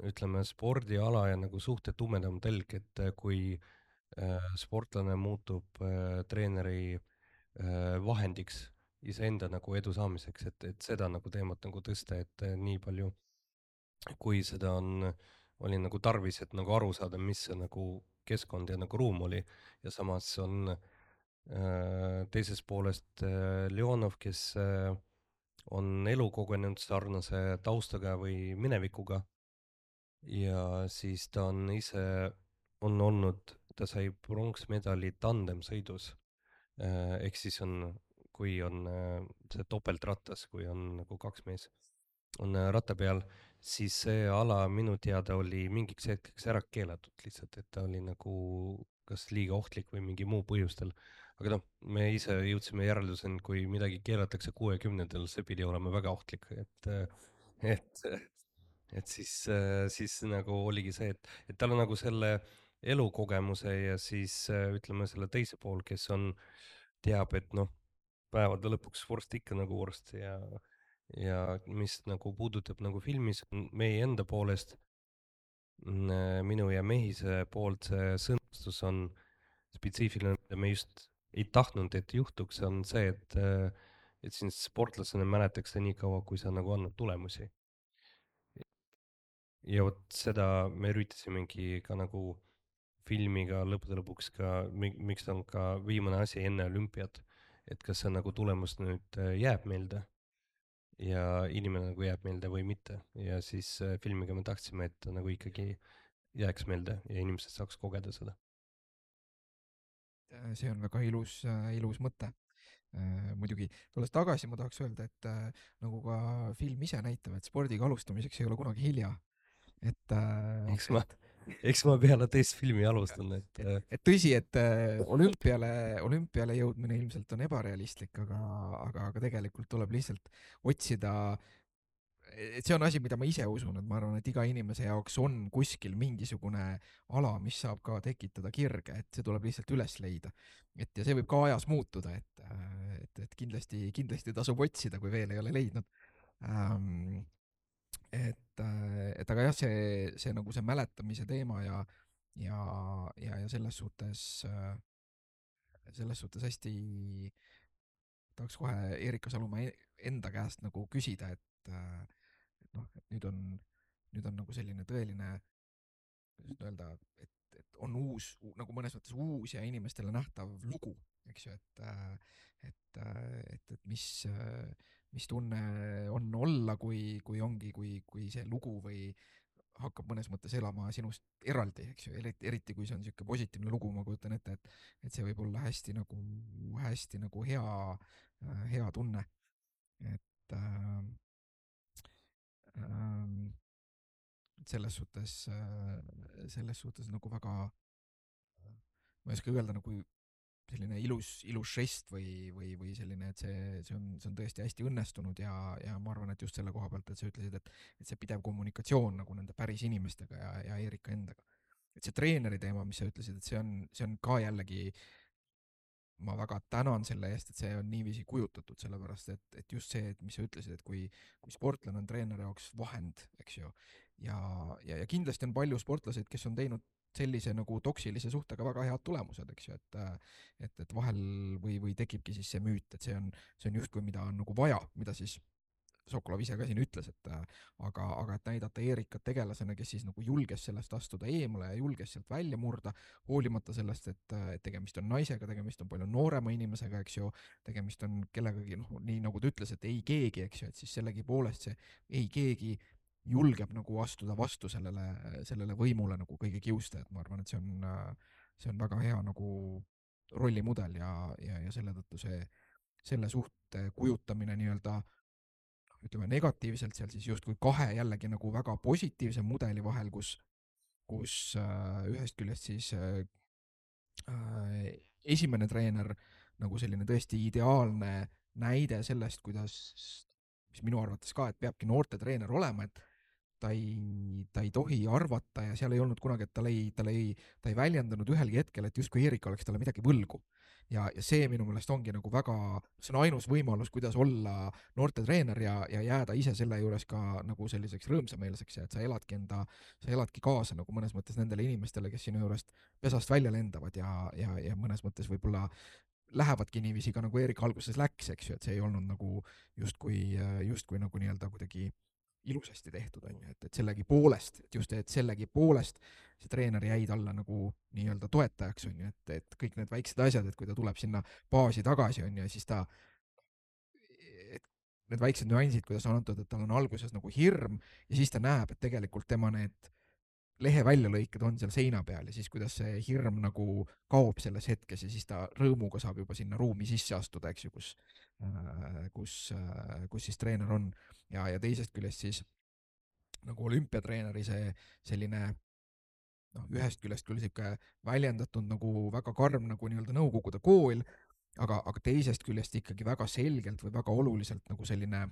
ütleme, spordiala ja nagu suhted tumedam telg, et kui äh, sportlane muutub äh, treeneri äh, vahendiks iseenda nagu edu saamiseks, et, et seda nagu teemat nagu tõsta, et äh, nii palju, kui seda on, oli nagu tarvis, et nagu aru saada, mis see nagu keskkond ja nagu ruum oli ja samas on äh, teisest poolest äh, Leonov, kes äh, on elu kogenud sarnase taustaga või minevikuga ja siis ta on ise, on olnud, ta sai pronksmedali tandemsõidus. Ehk siis on, kui on see topeltrattas, kui on nagu kaks mees, on ratta peal, siis see ala minu teada oli mingiks hetkeks ära keelatud lihtsalt, et ta oli nagu kas liiga ohtlik või mingi muu põhjustel. Aga noh, me ise jõudsime järelduseni, kui midagi keelatakse kuuekümnendal, see pidi olema väga ohtlik, et, et, et siis, siis nagu oligi see, et, et tal on nagu selle elukogemuse ja siis ütleme selle teise pool, kes on, teab, et noh, päevade lõpuks vorst ikka nagu vorst ja, ja mis nagu puudutab nagu filmis meie enda poolest, minu ja Mehise poolt see sõnastus on spetsiifiline, mida me just ei tahtnud, et juhtuks, on see, et, et sind sportlasena mäletakse nii kaua, kui sa nagu annad tulemusi. Ja vot seda me üritasimegi ka nagu filmiga lõppude lõpuks ka, miks ta on ka viimane asi enne olümpiat, et kas see nagu tulemus nüüd jääb meelde ja inimene nagu jääb meelde või mitte. Ja siis filmiga me tahtsime, et ta nagu ikkagi jääks meelde ja inimesed saaks kogeda seda. See on väga ilus, ilus mõte. Muidugi, tulles tagasi, ma tahaks öelda, et nagu ka film ise näitab, et spordiga alustamiseks ei ole kunagi hilja. Et, eks ma, eks ma peale teist filmi alustan, et et, et tõsi, et olümpiale, olümpiale jõudmine ilmselt on ebarealistlik, aga, aga, aga tegelikult tuleb lihtsalt otsida, et see on asi, mida ma ise usun, et ma arvan, et iga inimese jaoks on kuskil mingisugune ala, mis saab ka tekitada kirge, et see tuleb lihtsalt üles leida. Et ja see võib ka ajas muutuda, et, et, et kindlasti, kindlasti tasub otsida, kui veel ei ole leidnud. Ähm, et, et aga jah, see, see nagu see mäletamise teema ja, ja, ja, ja selles suhtes, selles suhtes hästi tahaks kohe Eerika Salumäe enda käest nagu küsida, et, et noh, et nüüd on, nüüd on nagu selline tõeline, kuidas öelda, et, et on uus, nagu mõnes mõttes uus ja inimestele nähtav lugu, eks ju, et, et, et, et mis, mis tunne on olla, kui, kui ongi, kui, kui see lugu või hakkab mõnes mõttes elama sinust eraldi, eks ju, eriti, eriti kui see on niisugune positiivne lugu, ma kujutan ette, et, et see võib olla hästi nagu, hästi nagu hea, hea tunne. Et äh, äh, selles suhtes, selles suhtes nagu väga, ma ei oska öelda, nagu selline ilus, ilus žest või, või, või selline, et see, see on, see on tõesti hästi õnnestunud ja, ja ma arvan, et just selle koha pealt, et sa ütlesid, et, et see pidev kommunikatsioon nagu nende päris inimestega ja, ja Eerika endaga. Et see treeneri teema, mis sa ütlesid, et see on, see on ka jällegi, ma väga tänan selle eest, et see on niiviisi kujutatud, sellepärast et, et just see, et mis sa ütlesid, et kui, kui sportlane on treeneri jaoks vahend, eks ju, ja, ja, ja kindlasti on palju sportlaseid, kes on teinud sellise nagu toksilise suhtega väga head tulemused, eks ju, et, et, et vahel või, või tekibki siis see müüt, et see on, see on justkui, mida on nagu vaja, mida siis Sokolov ise ka siin ütles, et aga, aga et näidata Eerikat tegelasena, kes siis nagu julges sellest astuda eemale ja julges sealt välja murda, hoolimata sellest, et, et tegemist on naisega, tegemist on palju noorema inimesega, eks ju, tegemist on kellegagi, noh, nii nagu ta ütles, et ei keegi, eks ju, et siis sellegipoolest see ei keegi julgeb nagu astuda vastu sellele, sellele võimule nagu kõige kiuste, et ma arvan, et see on, see on väga hea nagu rollimudel ja, ja, ja selle tõttu see, selle suhte kujutamine nii-öelda ütleme negatiivselt seal siis justkui kahe jällegi nagu väga positiivse mudeli vahel, kus, kus äh, ühest küljest siis äh, esimene treener nagu selline tõesti ideaalne näide sellest, kuidas, mis minu arvates ka, et peabki noorte treener olema, et ta ei, ta ei tohi arvata ja seal ei olnud kunagi, et tal ei, tal ei, ta ei väljendanud ühelgi hetkel, et justkui Eerika oleks talle midagi võlgu. Ja, ja see minu meelest ongi nagu väga, see on ainus võimalus, kuidas olla noorte treener ja, ja jääda ise selle juures ka nagu selliseks rõõmsameelseks ja et sa eladki enda, sa eladki kaasa nagu mõnes mõttes nendele inimestele, kes sinu juurest pesast välja lendavad ja, ja, ja mõnes mõttes võib-olla lähevadki niiviisi ka nagu Eerika alguses läks, eks ju, et see ei olnud nagu justkui, justkui nagu nii-öelda kuidagi ilusasti tehtud, on ju, et, et sellegi poolest, et just, et sellegi poolest see treener jäi talle nagu nii-öelda toetajaks, on ju, et, et kõik need väiksed asjad, et kui ta tuleb sinna baasi tagasi, on ju, siis ta, et need väiksed nüansid, kuidas on antud, et tal on alguses nagu hirm ja siis ta näeb, et tegelikult tema need lehe väljalõiked on seal seina peal ja siis kuidas see hirm nagu kaob selles hetkes ja siis ta rõõmuga saab juba sinna ruumi sisse astuda, eks ju, kus, kus, kus siis treener on. Ja, ja teisest küljest siis nagu olümpiatreeneri see selline noh, ühest küljest küll sihuke väljendatud nagu väga karm nagu nii-öelda Nõukogude kool, aga, aga teisest küljest ikkagi väga selgelt või väga oluliselt nagu selline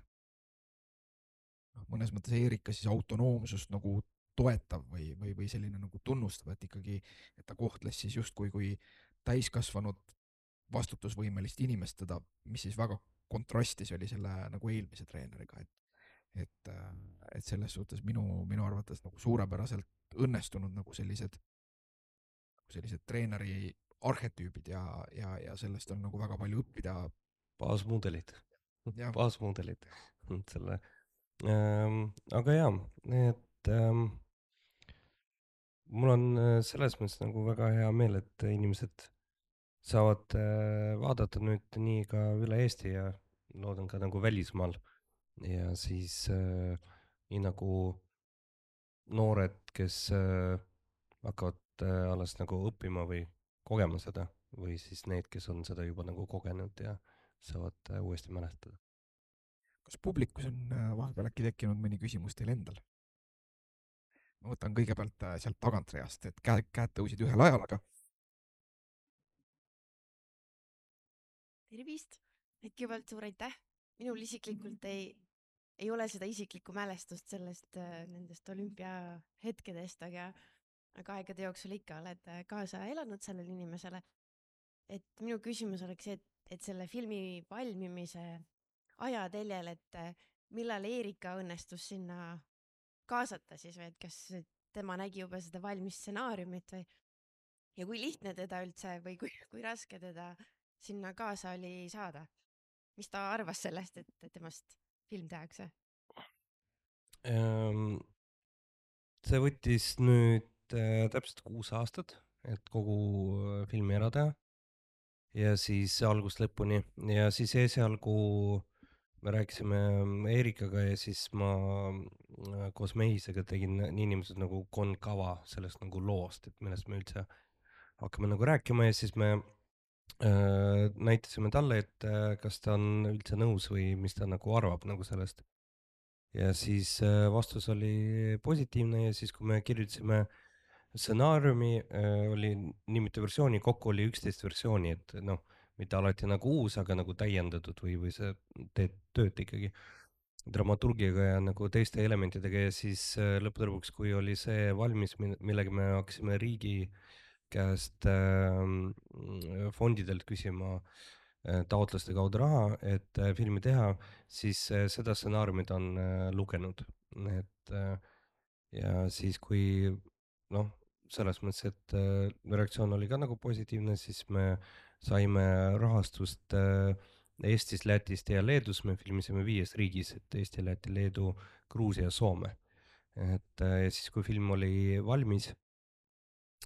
noh, mõnes mõttes Erika siis autonoomsust nagu toetav või, või, või selline nagu tunnustav, et ikkagi, et ta kohtles siis justkui kui täiskasvanud vastutusvõimelist inimest teda, mis siis väga kontrastis oli selle nagu eelmise treeneriga, et et, et selles suhtes minu, minu arvates nagu suurepäraselt õnnestunud nagu sellised, sellised treeneri arhetüübid ja, ja, ja sellest on nagu väga palju õppida. baasmudelid, Jah. baasmudelid selle ähm,, aga jaa, et ähm, mul on äh, selles mõttes nagu väga hea meel, et inimesed saavad äh, vaadata nüüd nii ka üle Eesti ja loodan ka nagu välismaal ja siis äh, nii nagu noored, kes äh, hakkavad äh, alles nagu õppima või kogema seda või siis need, kes on seda juba nagu kogenud ja saavad äh, uuesti mälestada. Kas publikus on äh, vahepeal äkki tekkinud mõni küsimus teil endal? Ma võtan kõigepealt äh, sealt tagantreast, et käed, käed tõusid ühel ajal, aga tervist, kõigepealt suur aitäh. Minul isiklikult ei, ei ole seda isiklikku mälestust sellest äh, nendest olümpiahetkedest, aga, aga aegade jooksul ikka oled äh, kaasa elanud sellele inimesele. Et minu küsimus oleks see, et, et selle filmi valmimise ajateljel, et äh, millal Erika õnnestus sinna kaasata siis või et kas tema nägi juba seda valmis stsenaariumit või ja kui lihtne teda üldse või kui, kui raske teda sinna kaasa oli saada? Mis ta arvas sellest, et, et temast film tehakse? Ähm, see võttis nüüd äh, täpselt kuus aastat, et kogu äh, filmi ära teha ja siis algust lõpuni ja siis esialgu me rääkisime Erikaga ja siis ma äh, koos Mehisega tegin niinimetatud nagu konkava sellest nagu loost, et millest me üldse hakkame nagu rääkima ja siis me äh, näitasime talle, et äh, kas ta on üldse nõus või mis ta nagu arvab nagu sellest. ja siis äh, vastus oli positiivne ja siis, kui me kirjutasime stsenaariumi, äh, oli nii mitu versiooni, kokku oli üksteist versiooni, et noh, mitte alati nagu uus, aga nagu täiendatud või, või sa teed tööd ikkagi dramaturgiaga ja nagu teiste elementidega ja siis äh, lõppude lõpuks, kui oli see valmis, millega me hakkasime riigi käest äh, fondidelt küsima äh, taotluste kaudu raha, et äh, filmi teha, siis äh, seda stsenaariumit on äh, lugenud, et äh, ja siis, kui noh, selles mõttes, et äh, reaktsioon oli ka nagu positiivne, siis me saime rahastust äh, Eestist, Lätist ja Leedus, me filmisime viies riigis, et Eesti, Läti, Leedu, Gruusia ja Soome. et äh, ja siis, kui film oli valmis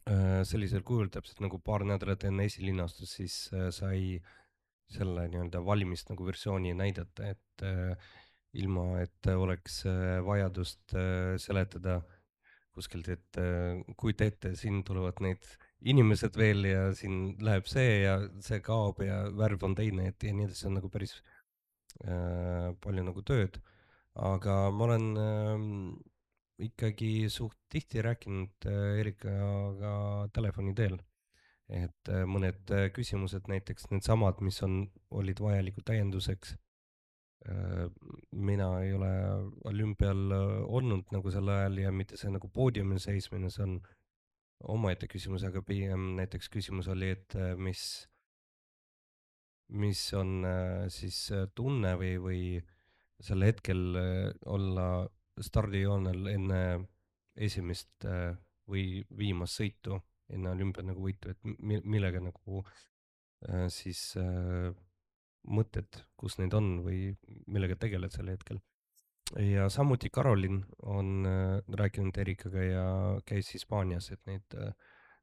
äh, sellisel kujul, täpselt nagu paar nädalat enne esilinastust, siis äh, sai selle nii-öelda valmist nagu versiooni näidata, et äh, ilma, et oleks äh, vajadust äh, seletada kuskilt, et äh, kujuta ette, siin tulevad need inimesed veel ja siin läheb see ja see kaob ja värv on teine, et ja nii edasi, see on nagu päris äh, palju nagu tööd. aga ma olen äh, ikkagi suht tihti rääkinud äh, Erikaga telefoni teel, et äh, mõned äh, küsimused, näiteks needsamad, mis on, olid vajalikud täienduseks. mina ei ole olümpial olnud nagu sel ajal ja mitte see nagu poodiumil seismine, see on omaette küsimus, aga pigem näiteks küsimus oli, et äh, mis, mis on äh, siis äh, tunne või, või sel hetkel äh, olla stardijoonel enne esimest äh, või viimast sõitu, enne olümpia nagu võitu, et mi- millega nagu äh, siis äh, mõtted, kus need on või millega tegeled sel hetkel. ja samuti Karolin on äh, rääkinud Erikaga ja käis Hispaanias, et neid äh,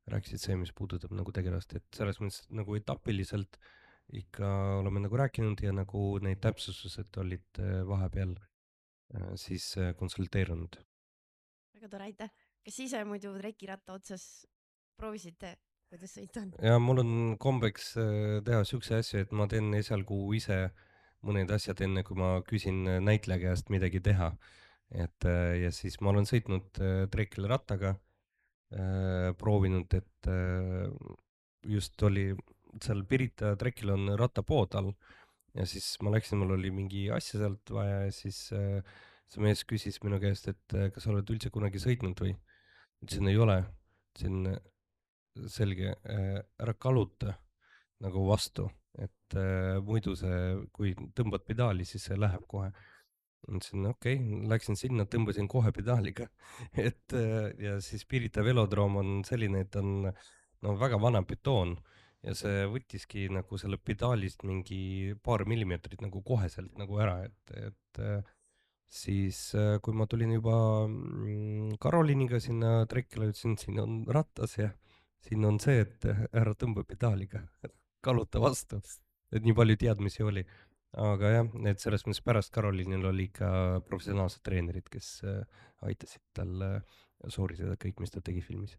rääkisid see, mis puudutab nagu tegelast, et selles mõttes nagu etapiliselt ikka oleme nagu rääkinud ja nagu neid täpsustused olid äh, vahepeal äh, siis äh, konsulteerunud. Väga tore, aitäh. Kas ise muidu trekiratta otsas proovisite, kuidas sõita on? ja mul on kombeks äh, teha siukse asju, et ma teen esialgu ise mõned asjad, enne kui ma küsin äh, näitleja käest midagi teha. et äh, ja siis ma olen sõitnud äh, trekil rattaga äh, proovinud, et äh, just oli seal Pirita trekil on rattapood all ja siis ma läksin, mul oli mingi asja sealt vaja ja siis äh, see mees küsis minu käest, et äh, kas sa oled üldse kunagi sõitnud või? ütlesin, ei ole. ütlesin, selge, äh, ära kaluta nagu vastu, et äh, muidu see, kui tõmbad pedaali, siis see läheb kohe. ütlesin okei okay,, läksin sinna, tõmbasin kohe pedaaliga et äh, ja siis Pirita velodroom on selline, et on no väga vana betoon ja see võttiski nagu selle pedaalist mingi paar millimeetrit nagu koheselt nagu ära, et, et äh, siis äh, kui ma tulin juba mm, Karoliiniga sinna trekile, ütlesin, siin on ratas ja siin on see, et äh, ära tõmba pedaaliga, kaluta vastu, et nii palju teadmisi oli. aga jah, et selles mõttes pärast Karoliinil oli ikka professionaalsed treenerid, kes äh, aitasid tal äh, sooritada kõik, mis ta tegi filmis.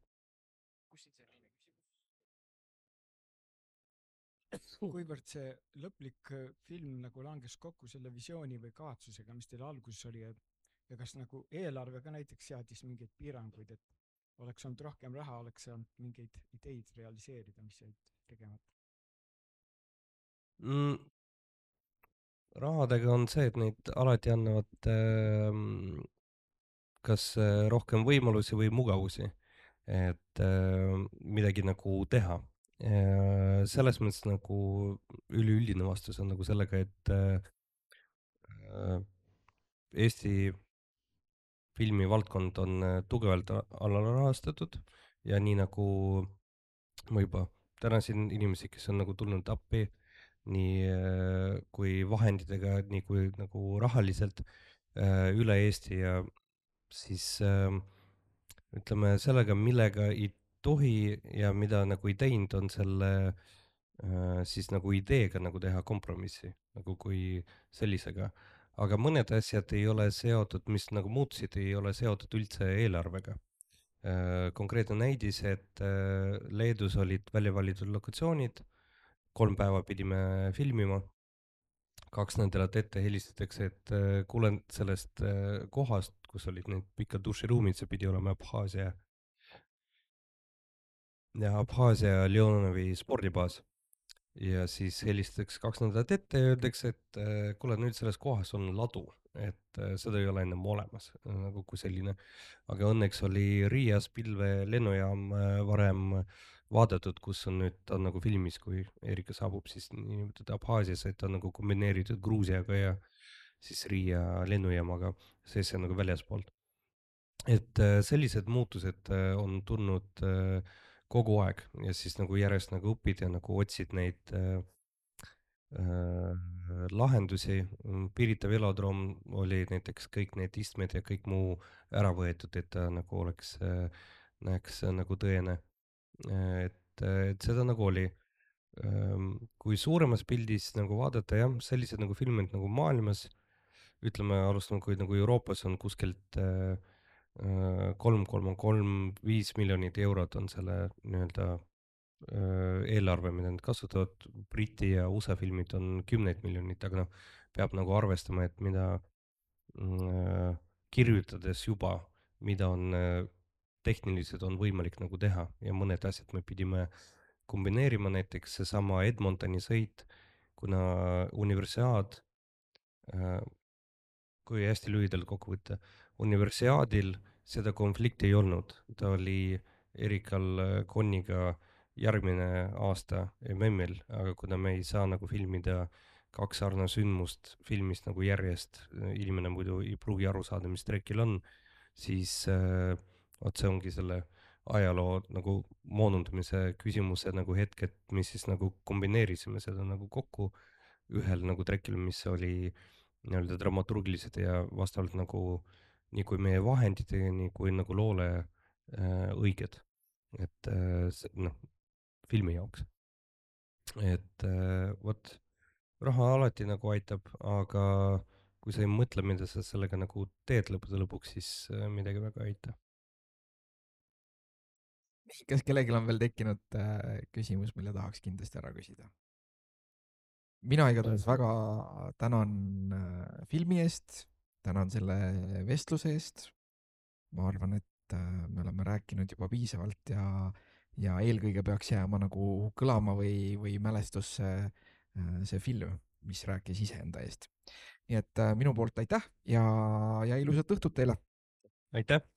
kuivõrd see lõplik äh, film nagu langes kokku selle visiooni või kavatsusega, mis teil alguses oli, et ja kas nagu eelarve ka näiteks seadis mingeid piiranguid, et oleks olnud rohkem raha, oleks saanud mingeid ideid realiseerida, mis jäid tegemata? mm,? rahadega on see, et neid alati annavad äh, kas äh, rohkem võimalusi või mugavusi, et äh, midagi nagu teha. selles mõttes nagu üleüldine vastus on nagu sellega, et äh, Eesti filmivaldkond on tugevalt alarahastatud ja nii nagu ma juba tänasin inimesi, kes on nagu tulnud appi nii kui vahenditega, nii kui nagu rahaliselt üle Eesti ja siis ütleme sellega, millega ei tohi ja mida nagu ei teinud, on selle siis nagu ideega nagu teha kompromissi nagu kui sellisega. aga mõned asjad ei ole seotud, mis nagu muutusid, ei ole seotud üldse eelarvega. konkreetne näidis, et Leedus olid välja valitud lokatsioonid, kolm päeva pidime filmima, kaks nädalat ette helistatakse, et kuulen sellest kohast, kus olid need pikad duširuumid, see pidi olema Abhaasia ja Abhaasia Leonovi spordibaas. ja siis helistatakse kaks nädalat ette ja öeldakse, et kuule, nüüd selles kohas on ladu, et seda ei ole enam olemas nagu kui selline. aga õnneks oli Riias Pilve lennujaam varem vaadatud, kus on nüüd, ta on nagu filmis, kui Erika saabub siis niimoodi Abhaasiasse, et ta on nagu kombineeritud Gruusiaga ja siis Riia lennujaamaga, sees on nagu väljaspoolt. et sellised muutused on tulnud kogu aeg ja siis nagu järjest nagu õpid ja nagu otsid neid äh, äh, lahendusi. Pirita velodroom oli näiteks kõik need istmed ja kõik muu ära võetud, et ta nagu oleks äh,, näeks nagu tõene. et, et seda nagu oli. kui suuremas pildis nagu vaadata, jah, sellised nagu filmid nagu maailmas, ütleme, alustame, kui nagu Euroopas on kuskilt äh, kolm koma kolm viis miljonit eurot on selle nii-öelda eelarve, mida nad kasutavad, Briti ja U S A filmid on kümneid miljonit, aga noh, peab nagu arvestama, et mida äh, kirjutades juba, mida on äh, tehniliselt on võimalik nagu teha ja mõned asjad me pidime kombineerima, näiteks seesama Edmontoni sõit, kuna universiaad äh,, kui hästi lühidalt kokku võtta, universiaadil seda konflikti ei olnud, ta oli Erikal Conniga järgmine aasta M M-il, aga kuna me ei saa nagu filmida kaks sarnasündmust filmist nagu järjest, inimene muidu ei pruugi aru saada, mis trekil on, siis äh, vot see ongi selle ajaloo nagu moonundamise küsimuse nagu hetk, et mis siis nagu kombineerisime seda nagu kokku ühel nagu trekil, mis oli nii-öelda dramaturgilised ja vastavalt nagu nii kui meie vahenditega, nii kui nagu loole äh, õiged, et äh, noh, filmi jaoks. et äh, vot, raha alati nagu aitab, aga kui sa ei mõtle, mida sa sellega nagu teed lõppude lõpuks, siis äh, midagi väga ei aita. kas kellelgi on veel tekkinud äh, küsimus, mille tahaks kindlasti ära küsida? mina igatahes väga tänan äh, filmi eest, tänan selle vestluse eest. ma arvan, et et me oleme rääkinud juba piisavalt ja, ja eelkõige peaks jääma nagu kõlama või, või mälestusse see film, mis rääkis iseenda eest. nii et minu poolt aitäh ja, ja ilusat õhtut teile! aitäh!